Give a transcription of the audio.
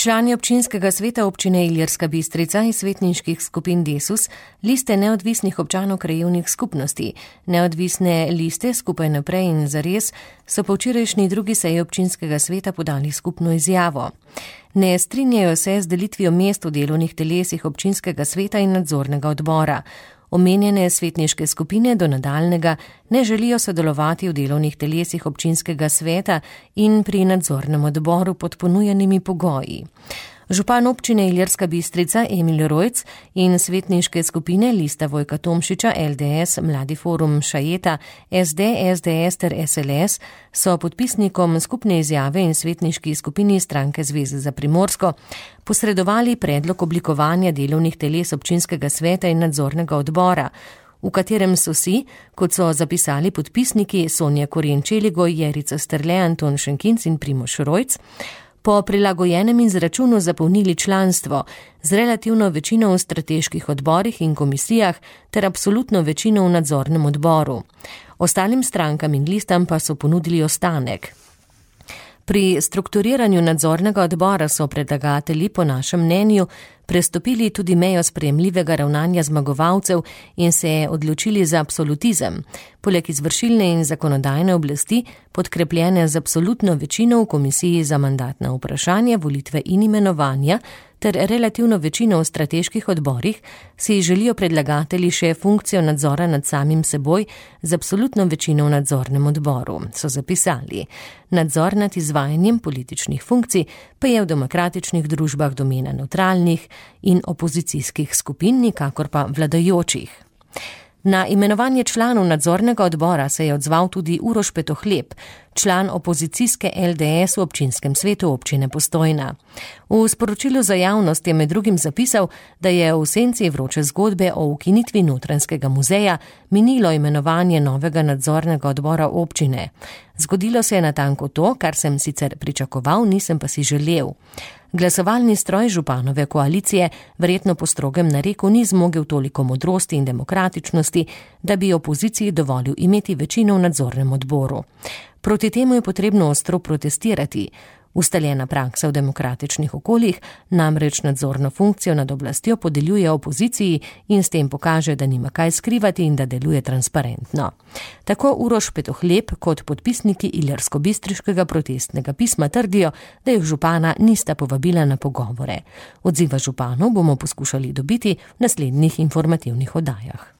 Člani občinskega sveta občine Ilirska Bistrica iz svetniških skupin Desus, liste neodvisnih občanov krajevnih skupnosti, neodvisne liste Skupaj naprej in Zares so po včerajšnji drugi seji občinskega sveta podali skupno izjavo. Ne strinjajo se z delitvijo mest v delovnih telesih občinskega sveta in nadzornega odbora. Omenjene svetniške skupine do nadaljnega ne želijo sodelovati v delovnih telesih občinskega sveta in pri nadzornem odboru pod ponujenimi pogoji. Župan občine Ilirska Bistrica Emil Rojc in svetniške skupine Lista Vojka Tomšiča, LDS, Mladi forum Šajeta, SD, SDS ter SLS so podpisnikom skupne izjave in svetniški skupini Stranke Zveze za Primorsko posredovali predlog oblikovanja delovnih teles občinskega sveta in nadzornega odbora, v katerem so si, kot so zapisali podpisniki Sonja Koren-Čeligoj, Jerica Strle, Anton Šenkinc in Primož Rojc, po prilagojenem izračunu zapolnili članstvo z relativno večino v strateških odborih in komisijah ter absolutno večino v nadzornem odboru. Ostalim strankam in listam pa so ponudili ostanek. Pri strukturiranju nadzornega odbora so predlagatelji po našem mnenju prestopili tudi mejo sprejemljivega ravnanja zmagovalcev in se odločili za absolutizem. Poleg izvršilne in zakonodajne oblasti, podkrepljene z absolutno večino v komisiji za mandatna vprašanja, volitve in imenovanja, ter relativno večino v strateških odborih, si želijo predlagatelji še funkcijo nadzora nad samim seboj z absolutno večino v nadzornem odboru, so zapisali. Nadzor nad izvajanjem političnih funkcij pa je v demokratičnih družbah domena nevtralnih in opozicijskih skupin, nikakor pa vladajočih. Na imenovanje članov nadzornega odbora se je odzval tudi Uroš Petohleb, član opozicijske LDS v občinskem svetu občine Postojna. V sporočilu za javnost je med drugim zapisal, da je v senci vroče zgodbe o ukinitvi Notranjskega muzeja minilo imenovanje novega nadzornega odbora občine. Zgodilo se je natanko to, kar sem sicer pričakoval, nisem pa si želel. Glasovalni stroj županove koalicije verjetno po strogem nareku ni zmogel toliko modrosti in demokratičnosti, da bi opoziciji dovolil imeti večino v nadzornem odboru. Proti temu je potrebno ostro protestirati. Ustaljena praksa v demokratičnih okoljih namreč nadzorno funkcijo nad oblastjo podeljuje opoziciji in s tem pokaže, da nima kaj skrivati in da deluje transparentno. Tako Uroš Petohleb kot podpisniki ilirsko-bistriškega protestnega pisma trdijo, da jih župana nista povabila na pogovore. Odziva županov bomo poskušali dobiti v naslednjih informativnih oddajah.